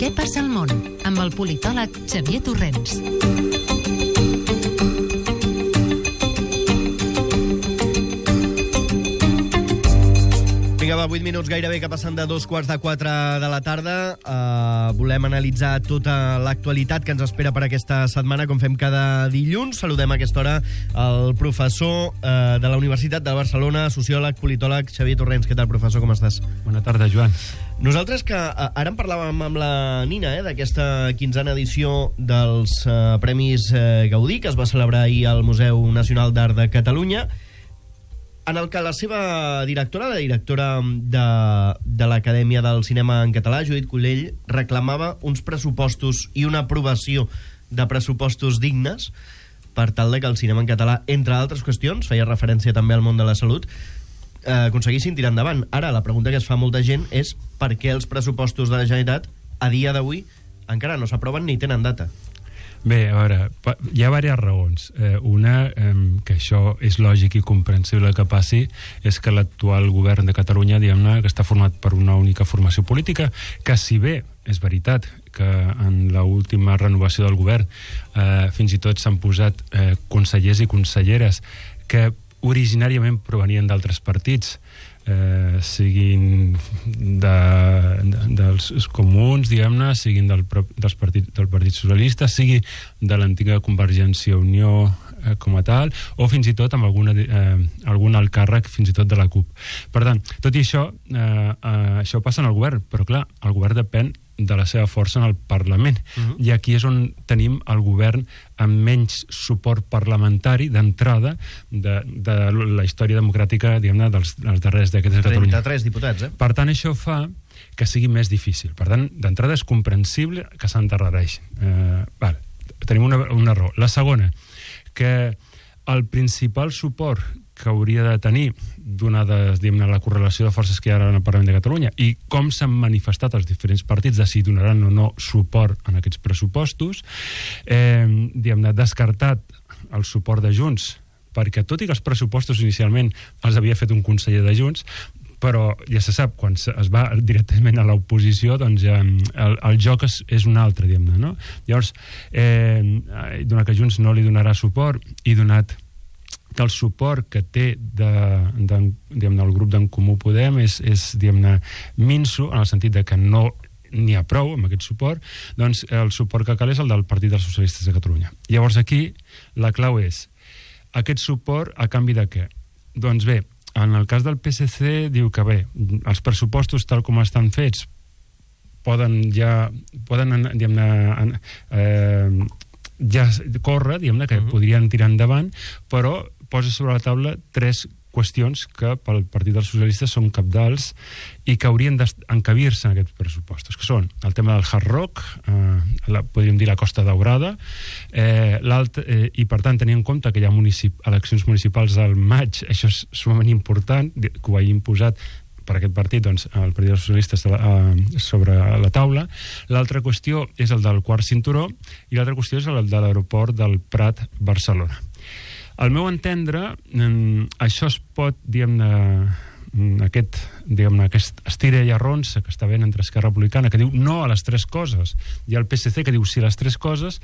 Què passa al món? Amb el politòleg Xavier Torrents. Vinga, va, 8 minuts gairebé que passen de 3:45 de la tarda. Volem analitzar tota l'actualitat que ens espera per aquesta setmana, com fem cada dilluns. Saludem a aquesta hora el professor de la Universitat de Barcelona, sociòleg, politòleg, Xavier Torrents. Què tal, professor? Com estàs? Bona tarda, Joan. Nosaltres que ara en parlàvem amb la Nina, d'aquesta 15a edició dels Premis Gaudí, que es va celebrar ahir al Museu Nacional d'Art de Catalunya, en el que la seva directora, la directora de l'Acadèmia del Cinema en Català, Judit Collell, reclamava uns pressupostos i una aprovació de pressupostos dignes per tal de que el cinema en català, entre altres qüestions, feia referència també al món de la salut, aconseguissin tirar endavant. Ara, la pregunta que es fa molta gent és per què els pressupostos de la Generalitat, a dia d'avui, encara no s'aproven ni tenen data. Bé, a veure, hi ha diverses raons. Una, que això és lògic i comprensible que passi, és que l'actual govern de Catalunya, diguem-ne, que està format per una única formació política, que si bé és veritat que en l'última renovació del govern fins i tot s'han posat consellers i conselleres que originàriament provenien d'altres partits, siguin dels comuns, diguem-ne, siguin del Partit Socialista, sigui de l'antiga Convergència i Unió com a tal, o fins i tot amb algun alt càrrec fins i tot de la CUP. Per tant, tot i això, això passa en el govern, però clar, el govern depèn de la seva força en el Parlament. I aquí és on tenim el govern amb menys suport parlamentari d'entrada de la història democràtica, diguem-ne, dels darrers dècades de Catalunya. 33 diputats, Per tant, això fa que sigui més difícil. Per tant, d'entrada és comprensible que s'endarrereix. Tenim una raó. La segona, que el principal suport que hauria de tenir, donada la correlació de forces que hi ha ara en el Parlament de Catalunya i com s'han manifestat els diferents partits de si donaran o no suport en aquests pressupostos, descartat el suport de Junts, perquè tot i que els pressupostos inicialment els havia fet un conseller de Junts, però ja se sap, quan es va directament a l'oposició, doncs el joc és un altre, diguem-ne, no? Llavors, donat que Junts no li donarà suport i donat que el suport que té el grup d'en Comú Podem és minso, en el sentit de que no n'hi ha prou amb aquest suport, doncs el suport que cal és el del Partit dels Socialistes de Catalunya. Llavors aquí la clau és aquest suport a canvi de què? Doncs bé, en el cas del PSC diu que bé, els pressupostos tal com estan fets poden ja córrer, diguem-ne, que podrien tirar endavant, però posa sobre la taula 3 qüestions que pel Partit dels Socialistes són cabdals i que haurien d'encabir-se en aquests pressupostos, que són el tema del Hard Rock, podríem dir la Costa Daurada, i per tant tenir en compte que hi ha eleccions municipals al maig, això és sumament important, que ho hagi imposat per aquest partit, doncs, el Partit dels Socialistes sobre la taula. L'altra qüestió és el del quart cinturó i l'altra qüestió és el de l'aeroport del Prat Barcelona. Al meu entendre, això es pot, aquest estira i arronsa que està ben entre Esquerra Republicana, que diu no a les 3 coses, i el PSC que diu sí a les 3 coses,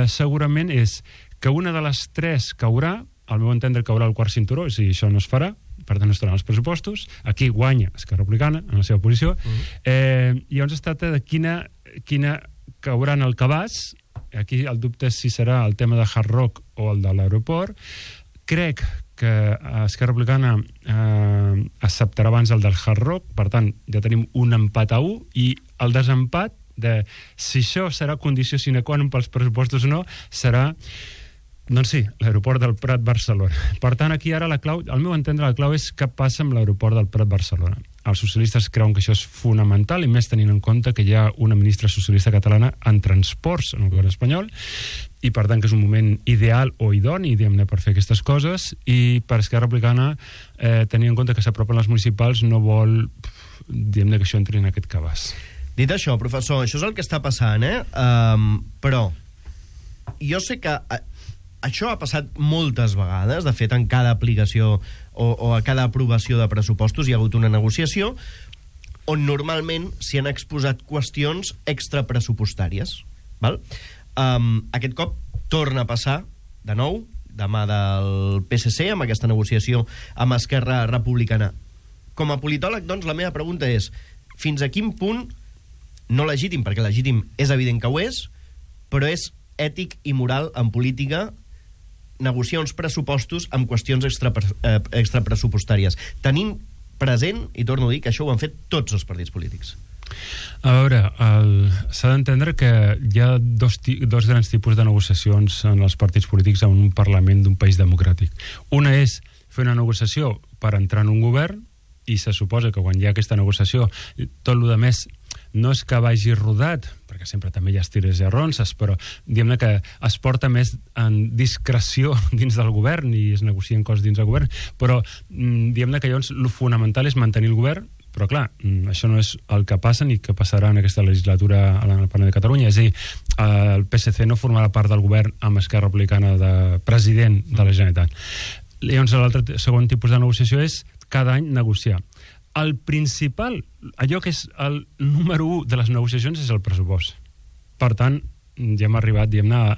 segurament és que una de les 3 caurà, al meu entendre caurà el quart cinturó, és a dir, això no es farà, per tant no estaran els pressupostos, aquí guanya Esquerra Republicana en la seva posició, i llavors es tracta de quina caurà en el cabàs. Aquí el dubte és si serà el tema de Hard Rock o el de l'aeroport. Crec que Esquerra Republicana acceptarà abans el del Hard Rock, per tant ja tenim un empat a 1, i el desempat de si això serà condició sine qua non pels pressupostos o no, serà, doncs sí, l'aeroport del Prat Barcelona. Per tant, aquí ara la clau, al meu entendre, la clau és què passa amb l'aeroport del Prat Barcelona. Els socialistes creuen que això és fonamental, i més tenint en compte que hi ha una ministra socialista catalana en transports en el govern espanyol, i per tant que és un moment ideal o idoni, diguem-ne, per fer aquestes coses, i per Esquerra Republicana, tenint en compte que s'apropen les municipals, no vol, diguem-ne, que això entri en aquest cabàs. Dit això, professor, això és el que està passant, però jo sé que això ha passat moltes vegades. De fet, en cada aplicació o a cada aprovació de pressupostos hi ha hagut una negociació on normalment s'hi han exposat qüestions extrapressupostàries. Val? Aquest cop torna a passar, de nou, de mà del PSC, amb aquesta negociació amb Esquerra Republicana. Com a politòleg, doncs, la meva pregunta és: fins a quin punt, no legítim, perquè legítim és evident que ho és, però és ètic i moral en política negociar uns pressupostos amb qüestions extrapressupostàries, tenint present, i torno a dir, que això ho han fet tots els partits polítics? A veure, s'ha d'entendre que hi ha dos grans tipus de negociacions en els partits polítics en un Parlament d'un país democràtic. Una és fer una negociació per entrar en un govern, i se suposa que quan hi ha aquesta negociació tot el que més no és que vagi rodat, perquè sempre també hi ha estires i arronses, però diguem-ne que es porta més en discreció dins del govern i es negocien coses dins del govern, però diguem-ne que llavors el fonamental és mantenir el govern, però clar, això no és el que passa ni que passarà en aquesta legislatura al Parlament de Catalunya. És a dir, el PSC no formarà part del govern amb Esquerra Republicana de president de la Generalitat. Llavors l'altre segon tipus de negociació és cada any negociar. El principal, allò que és el número 1 de les negociacions és el pressupost. Per tant, ja hem arribat, diguem-ne,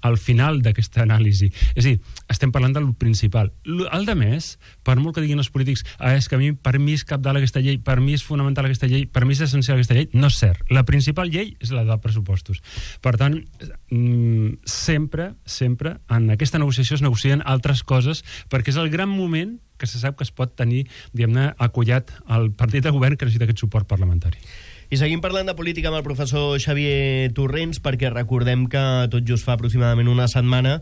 al final d'aquesta anàlisi. És a dir, estem parlant del principal. El de més, per molt que diguin els polítics, és que per mi és cabdal aquesta llei, per mi és fonamental aquesta llei, per mi és essencial aquesta llei, no és cert. La principal llei és la de pressupostos. Per tant, sempre en aquesta negociació es negocien altres coses, perquè és el gran moment que se sap que es pot tenir, diguem-ne, acollat al partit de govern que necessita aquest suport parlamentari. I seguim parlant de política amb el professor Xavier Torrents, perquè recordem que tot just fa aproximadament una setmana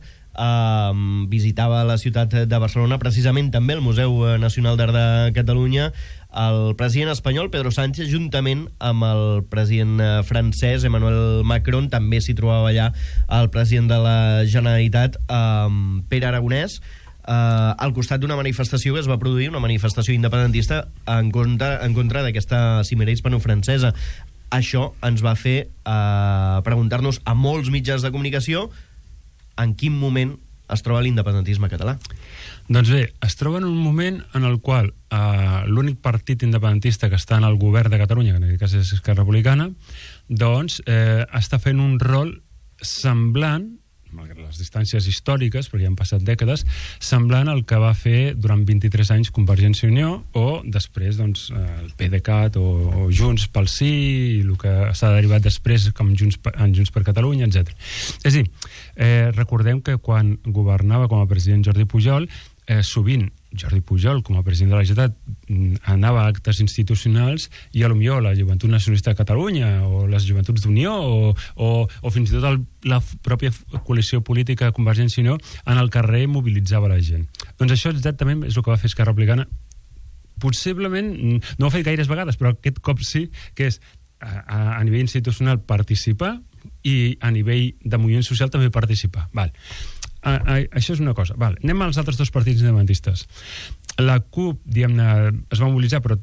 visitava la ciutat de Barcelona, precisament també el Museu Nacional d'Art de Catalunya, el president espanyol Pedro Sánchez, juntament amb el president francès Emmanuel Macron. També s'hi trobava allà el president de la Generalitat, Pere Aragonès, al costat d'una manifestació que es va produir, una manifestació independentista en contra d'aquesta cimera hispano-francesa. Això ens va fer preguntar-nos a molts mitjans de comunicació en quin moment es troba l'independentisme català. Doncs bé, es troba en un moment en el qual l'únic partit independentista que està en el govern de Catalunya, que en aquest cas és Esquerra Republicana, doncs està fent un rol semblant, malgrat les distàncies històriques, perquè ja han passat dècades, semblant al que va fer durant 23 anys Convergència i Unió, o després doncs, el PDeCAT o Junts pel Sí, i el que s'ha derivat després com Junts per Catalunya, etc. És a dir, recordem que quan governava com a president Jordi Pujol, sovint Jordi Pujol, com a president de la Generalitat, anava a actes institucionals i potser la Joventut Nacionalista de Catalunya o les Joventuts d'Unió o fins i tot la pròpia coalició política de Convergència i Unió en el carrer mobilitzava la gent. Doncs això exactament és el que va fer Esquerra Republicana. Possiblement, no ho ha fet gaires vegades, però aquest cop sí, que és a nivell institucional participar i a nivell de moviment social també participar. Val. Això és una cosa. Val. Anem als altres dos partits independentistes. La CUP, diguem-ne, es va mobilitzar, però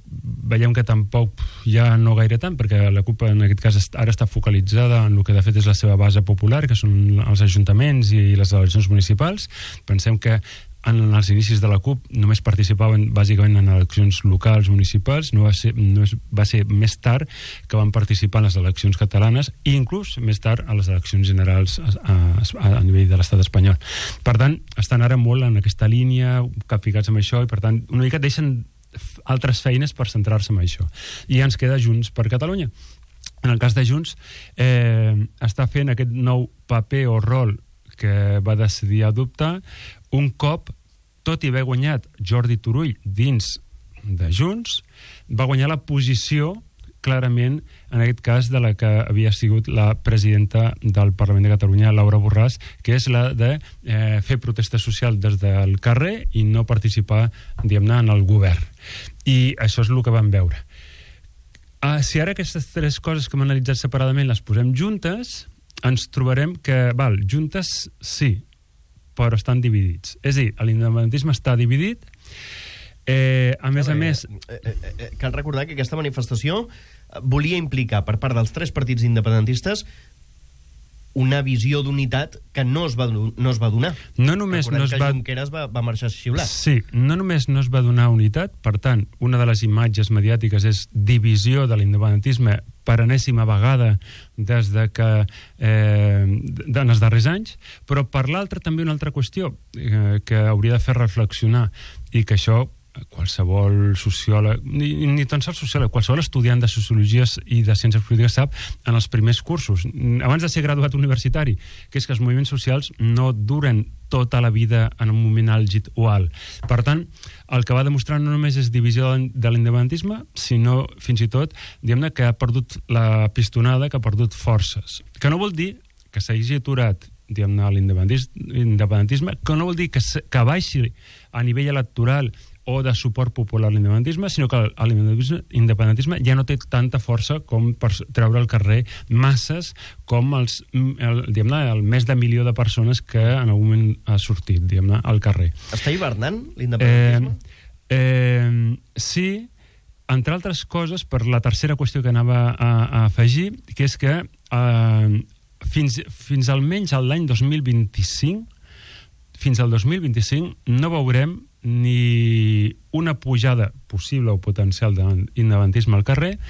veiem que tampoc ja no gaire tant, perquè la CUP en aquest cas ara està focalitzada en el que de fet és la seva base popular, que són els ajuntaments i les eleccions municipals. Pensem que en els inicis de la CUP només participaven bàsicament en eleccions locals, municipals. Va ser més tard que van participar en les eleccions catalanes i inclús més tard a les eleccions generals a nivell de l'estat espanyol. Per tant, estan ara molt en aquesta línia, capficats amb això, i per tant una mica deixen altres feines per centrar-se en això. I ens queda Junts per Catalunya. En el cas de Junts, està fent aquest nou paper o rol que va decidir adoptar un cop, tot i haver guanyat Jordi Turull dins de Junts, va guanyar la posició clarament, en aquest cas, de la que havia sigut la presidenta del Parlament de Catalunya, Laura Borràs, que és la de fer protesta social des del carrer i no participar, diguem-ne, en el govern. I això és el que vam veure. Si ara aquestes tres coses que hem analitzat separadament les posem juntes, ens trobarem que, juntes sí, però estan dividits. És a dir, l'independentisme està dividit. A més... Cal recordar que aquesta manifestació volia implicar per part dels tres partits independentistes una visió d'unitat que no es va donar. No només no es va... Junqueras va marxar xiulat. Sí, no només no es va donar unitat, per tant, una de les imatges mediàtiques és divisió de l'independentisme per enèsima vegada des de que en els darrers anys, però per l'altra també una altra qüestió que hauria de fer reflexionar, i que això qualsevol sociòleg, ni tan sols sociòleg, qualsevol estudiant de sociologia i de ciències polítiques sap en els primers cursos, abans de ser graduat universitari, que és que els moviments socials no duren tota la vida en un moment àlgid o alt. Per tant, el que va demostrar no només és divisió de l'independentisme, sinó fins i tot, diguem-ne, que ha perdut la pistonada, que ha perdut forces. Que no vol dir que s'hagi aturat, diguem-ne, l'independentisme, que no vol dir que baixi a nivell electoral o de suport popular a l'independentisme, sinó que l'independentisme ja no té tanta força com per treure al carrer masses com el més de 1 milió de persones que en algun moment ha sortit, diguem-ne, al carrer. Està hivernant l'independentisme? Sí, entre altres coses, per la tercera qüestió que anava a afegir, que és que fins almenys l'any 2025, fins al 2025, no veurem ni una pujada possible o potencial de l'independentisme al carrer,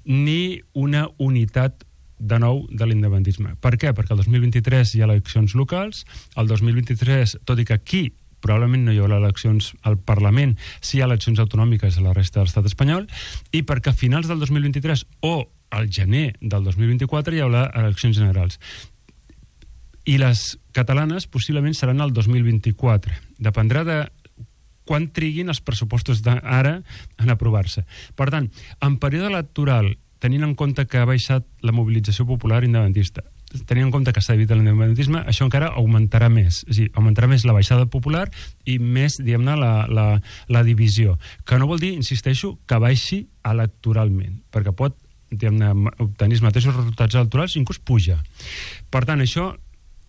ni una unitat de nou de l'independentisme. Per què? Perquè el 2023 hi ha eleccions locals, el 2023, tot i que aquí probablement no hi haurà eleccions al Parlament, sí hi ha eleccions autonòmiques a la resta de l'estat espanyol, i perquè a finals del 2023 o al gener del 2024 hi haurà eleccions generals. I les catalanes possiblement seran el 2024. Dependrà de quan triguin els pressupostos d'ara en aprovar-se. Per tant, en període electoral, tenint en compte que ha baixat la mobilització popular independentista, tenint en compte que s'ha evitat l'independentisme, això encara augmentarà més. És a dir, augmentarà més la baixada popular i més, diguem-ne, la divisió. Que no vol dir, insisteixo, que baixi electoralment, perquè pot, diguem-ne, obtenir els mateixos resultats electorals i inclús puja. Per tant, això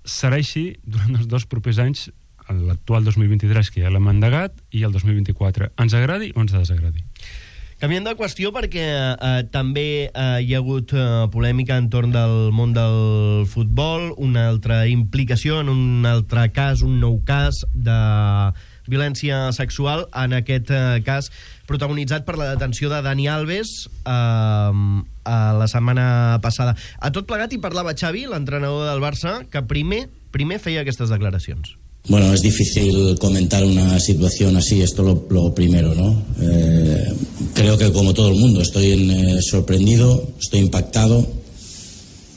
serà així durant els 2 propers anys, l'actual 2023, que ja l'hem endegat, i el 2024. Ens agradi o ens desagradi? Canviant de qüestió, perquè també hi ha hagut polèmica entorn del món del futbol, una altra implicació en un altre cas, un nou cas de violència sexual, en aquest cas protagonitzat per la detenció de Dani Alves la setmana passada. A tot plegat hi parlava Xavi, l'entrenador del Barça, que primer feia aquestes declaracions. Bueno, es difícil comentar una situación así, esto lo primero, ¿no? Creo que como todo el mundo estoy sorprendido, estoy impactado,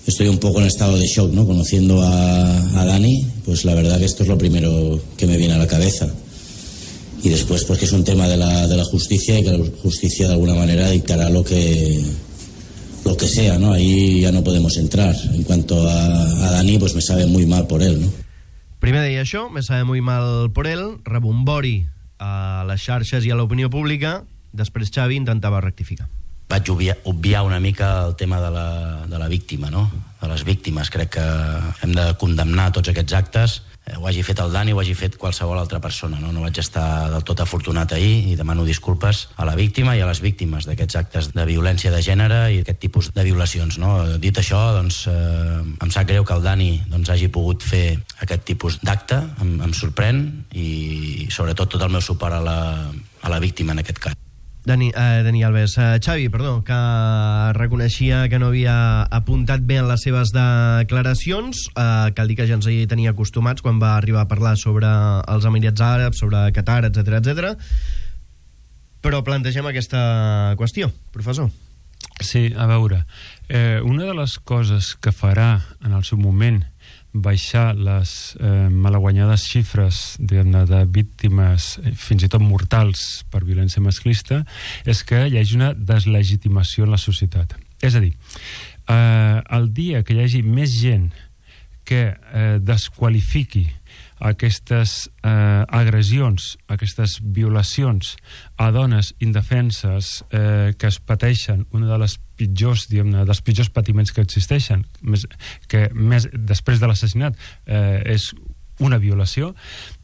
estoy un poco en estado de shock, ¿no? Conociendo a Dani, pues la verdad que esto es lo primero que me viene a la cabeza. Y después, pues que es un tema de la justicia, y que la justicia de alguna manera dictará lo que sea, ¿no? Ahí ya no podemos entrar. En cuanto a Dani, pues me sabe muy mal por él, ¿no? Primer deia això, me sabe muy mal por él, rebombori a les xarxes i a l'opinió pública, després Xavi intentava rectificar. Vaig obviar una mica el tema de la víctima, no? De les víctimes. Crec que hem de condemnar tots aquests actes, ho hagi fet el Dani o ho hagi fet qualsevol altra persona, no? No vaig estar del tot afortunat ahir i demano disculpes a la víctima i a les víctimes d'aquests actes de violència de gènere i aquest tipus de violacions, no? Dit això, doncs, em sap greu que el Dani hagi pogut fer aquest tipus d'acte, em sorprèn, i sobretot tot el meu suport a la víctima en aquest cas. Dani Alves. Xavi, perdó, que reconeixia que no havia apuntat bé en les seves declaracions, cal dir que ja ens hi tenia acostumats quan va arribar a parlar sobre els Emirats Àrabs, sobre Qatar, etc. Però plantegem aquesta qüestió, professor. Sí, a veure, una de les coses que farà en el seu moment baixar les malaguanyades xifres de víctimes, fins i tot mortals, per violència masclista, és que hi hagi una deslegitimació en la societat. És a dir, el dia que hi hagi més gent que desqualifiqui aquestes agressions, aquestes violacions a dones indefenses que es pateixen una de les pitjors, dels pitjors patiments que existeixen, que més després de l'assassinat és una violació,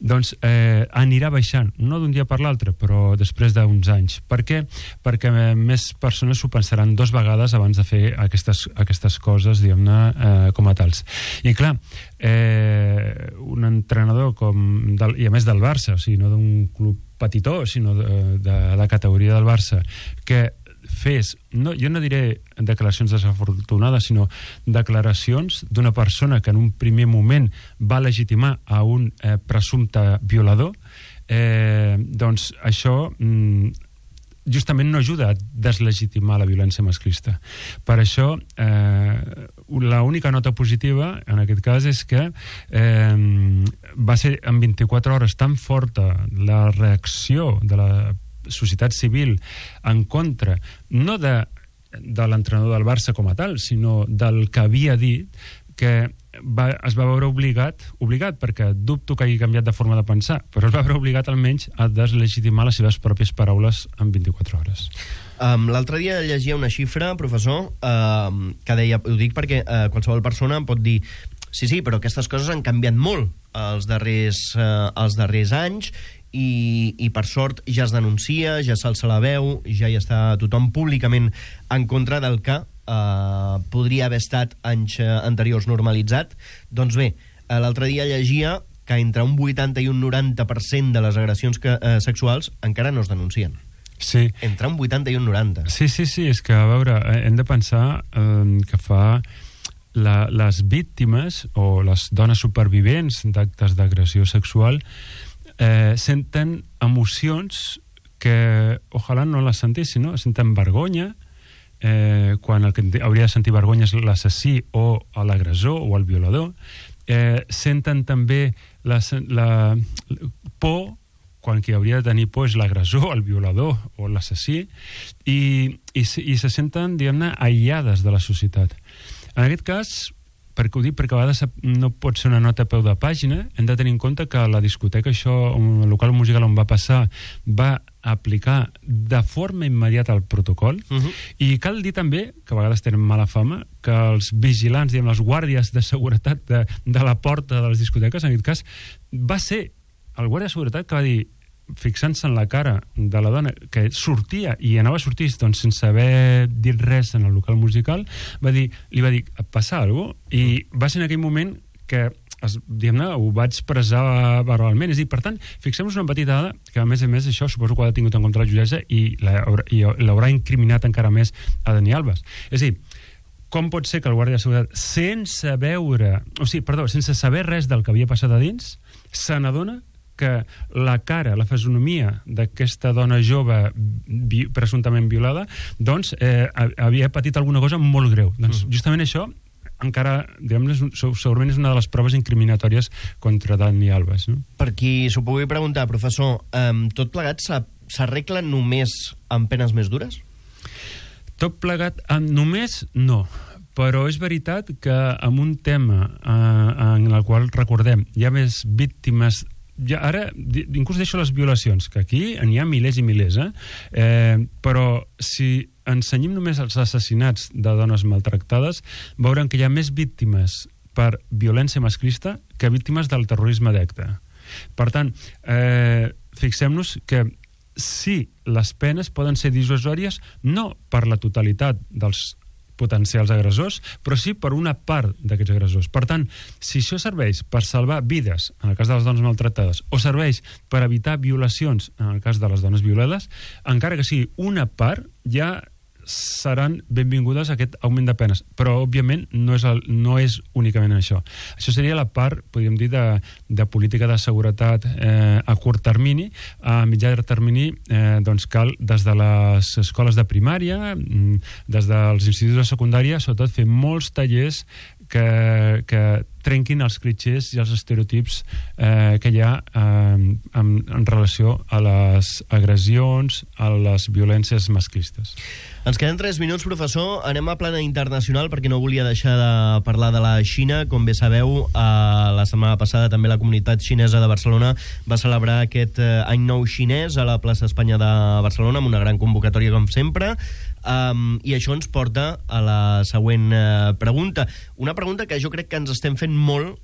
doncs anirà baixant, no d'un dia per l'altre, però després d'uns anys. Per què? Perquè més persones s'ho pensaran 2 vegades abans de fer aquestes coses, diguem-ne, com a tals. I clar, un entrenador i a més del Barça, o sigui, no d'un club petitó, sinó de la categoria del Barça, que fes, jo no diré declaracions desafortunades, sinó declaracions d'una persona que en un primer moment va legitimar a un presumpte violador, doncs això justament no ajuda a deslegitimar la violència masclista. Per això, l'única nota positiva en aquest cas és que va ser en 24 hores tan forta la reacció de la societat civil en contra, no de l'entrenador del Barça com a tal, sinó del que havia dit, que es va veure obligat, perquè dubto que hagi canviat de forma de pensar, però es va veure obligat almenys a deslegitimar les seves pròpies paraules en 24 hores. L'altre dia llegia una xifra, professor, que deia, ho dic perquè qualsevol persona em pot dir sí, però aquestes coses han canviat molt els darrers anys i per sort ja es denuncia, ja s'alça la veu, ja hi està tothom públicament en contra del que podria haver estat anys anteriors normalitzat. Doncs bé, l'altre dia llegia que entre un 80 i un 90% de les agressions sexuals encara no es denuncien. Sí. Entre un 80 i un 90. Sí, és que, a veure, hem de pensar que fa les víctimes o les dones supervivents d'actes d'agressió sexual senten emocions que ojalà no les sentissin, no? Senten vergonya, quan el que hauria de sentir vergonya és l'assassí o l'agressor o el violador. Senten també la por, quan qui hauria de tenir por és l'agressor, el violador o l'assassí, i se senten, diguem-ne, aïllades de la societat. En aquest cas, perquè ho dic, perquè a vegades no pot ser una nota a peu de pàgina, hem de tenir en compte que la discoteca, això, el local musical on va passar, va aplicar de forma immediata el protocol, i cal dir també, que a vegades tenen mala fama, que els vigilants, diguem, els guàrdies de seguretat de la porta de les discoteques, en aquest cas, va ser el guàrdia de seguretat que va dir, fixant-se en la cara de la dona que sortia i anava a sortir doncs, sense haver dit res en el local musical, li va dir, passa alguna cosa? I va ser en aquell moment que diguem-ne, ho va expressar verbalment. És a dir, per tant, fixem-nos una petita dada que, a més, això suposo que ho ha tingut en compte la jutgessa i l'haurà incriminat encara més a Dani Alves. És a dir, com pot ser que el guàrdia de seguretat, sense saber res del que havia passat a dins, se n'adona que la cara, la fisonomia d'aquesta dona jove presumptament violada, doncs havia patit alguna cosa molt greu. Doncs justament això encara, diguem-ne, segurament és una de les proves incriminatòries contra Dani Alves. No? Per qui s'ho pugui preguntar, professor, tot plegat s'arregla només amb penes més dures? Tot plegat només no. Però és veritat que amb un tema en el qual, recordem, hi ha més víctimes. Ara, inclús deixo les violacions, que aquí n'hi ha milers i milers, però si ensenyem només els assassinats de dones maltractades, veurem que hi ha més víctimes per violència masclista que víctimes del terrorisme d'acte. Per tant, fixem-nos que sí, les penes poden ser dissuasòries no per la totalitat dels potencials agressors, però sí per una part d'aquests agressors. Per tant, si això serveix per salvar vides, en el cas de les dones maltractades, o serveix per evitar violacions, en el cas de les dones violades, encara que sigui una part, ja seran benvingudes a aquest augment de penes. Però, òbviament, no és únicament això. Això seria la part, podríem dir, de política de seguretat a curt termini. A mitjà termini, doncs cal, des de les escoles de primària, des dels instituts de secundària, sobretot fer molts tallers que trenquin els clitxers i els estereotips que hi ha en relació a les agressions, a les violències masclistes. Ens queden 3 minuts, professor. Anem a plana internacional perquè no volia deixar de parlar de la Xina. Com bé sabeu, la setmana passada també la comunitat xinesa de Barcelona va celebrar aquest Any Nou xinès a la plaça Espanya de Barcelona amb una gran convocatòria, com sempre. I això ens porta a la següent pregunta. Una pregunta que jo crec que ens estem fent molt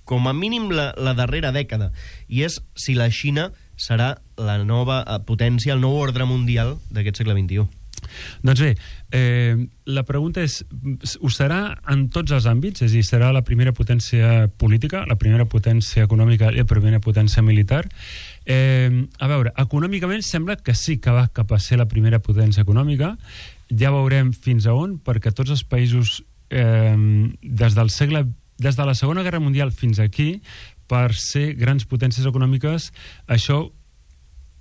com a mínim la darrera dècada, i és si la Xina serà la nova potència, el nou ordre mundial d'aquest segle XXI. Doncs bé, la pregunta és, ho serà en tots els àmbits? És a dir, serà la primera potència política, la primera potència econòmica i la primera potència militar? A veure, econòmicament sembla que sí que va cap a ser la primera potència econòmica. Ja veurem fins a on, perquè tots els països des de la Segona Guerra Mundial fins aquí, per ser grans potències econòmiques, això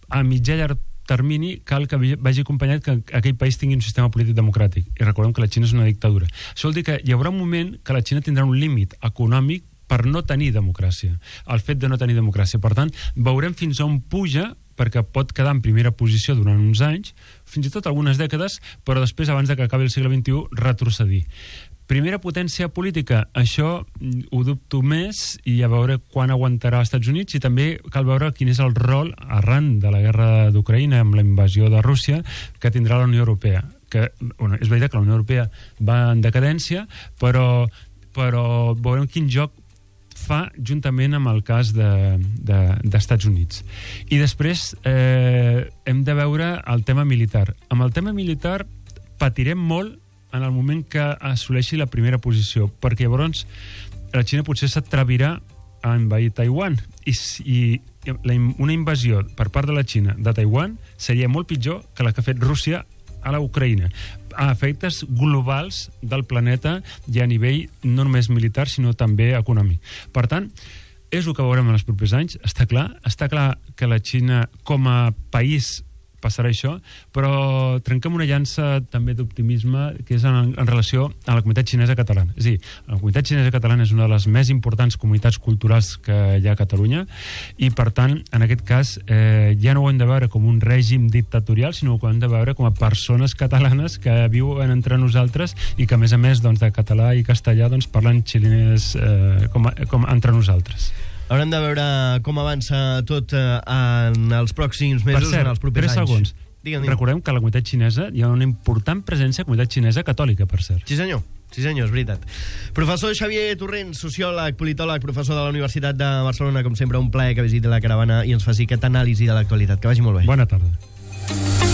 a mitjà llarg termini cal que vagi acompanyat que aquell país tingui un sistema polític democràtic. I recordem que la Xina és una dictadura. Això vol dir que hi haurà un moment que la Xina tindrà un límit econòmic per no tenir democràcia. El fet de no tenir democràcia. Per tant, veurem fins on puja, perquè pot quedar en primera posició durant uns anys, fins i tot algunes dècades, però després, abans de que acabi el segle XXI, retrocedir. Primera potència política, això ho dubto més, i a veure quan aguantarà els Estats Units, i també cal veure quin és el rol arran de la guerra d'Ucraïna amb la invasió de Rússia que tindrà la Unió Europea. És veritat que la Unió Europea va en decadència, però veurem quin joc fa juntament amb el cas d'Estats Units. I després hem de veure el tema militar. Amb el tema militar patirem molt en el moment que assoleixi la primera posició, perquè llavors la Xina potser s'atrevirà a envair Taiwan, i una invasió per part de la Xina de Taiwan seria molt pitjor que la que ha fet Rússia a la Ucraïna, a efectes globals del planeta i a nivell no només militar sinó també econòmic. Per tant, és el que veurem en els propers anys. Està clar que la Xina com a país passarà això, però trenquem una llança també d'optimisme, que és en relació a la comunitat xinesa catalana. És a dir, la comunitat xinesa catalana és una de les més importants comunitats culturals que hi ha a Catalunya, i per tant, en aquest cas, ja no ho hem de veure com un règim dictatorial, sinó que ho hem de veure com a persones catalanes que viuen entre nosaltres i que, a més, de català i castellà, parlen xinès com entre nosaltres. Haurem de veure com avança tot en els pròxims mesos, en els propers anys. 3 segons. Digue'm. Recordem que a la comunitat xinesa hi ha una important presència de comunitat xinesa catòlica, per cert. Sí, senyor, és veritat. Professor Xavier Torrent, sociòleg, politòleg, professor de la Universitat de Barcelona, com sempre, un plaer que visiti la caravana i ens faci aquesta anàlisi de l'actualitat. Que vagi molt bé. Bona tarda.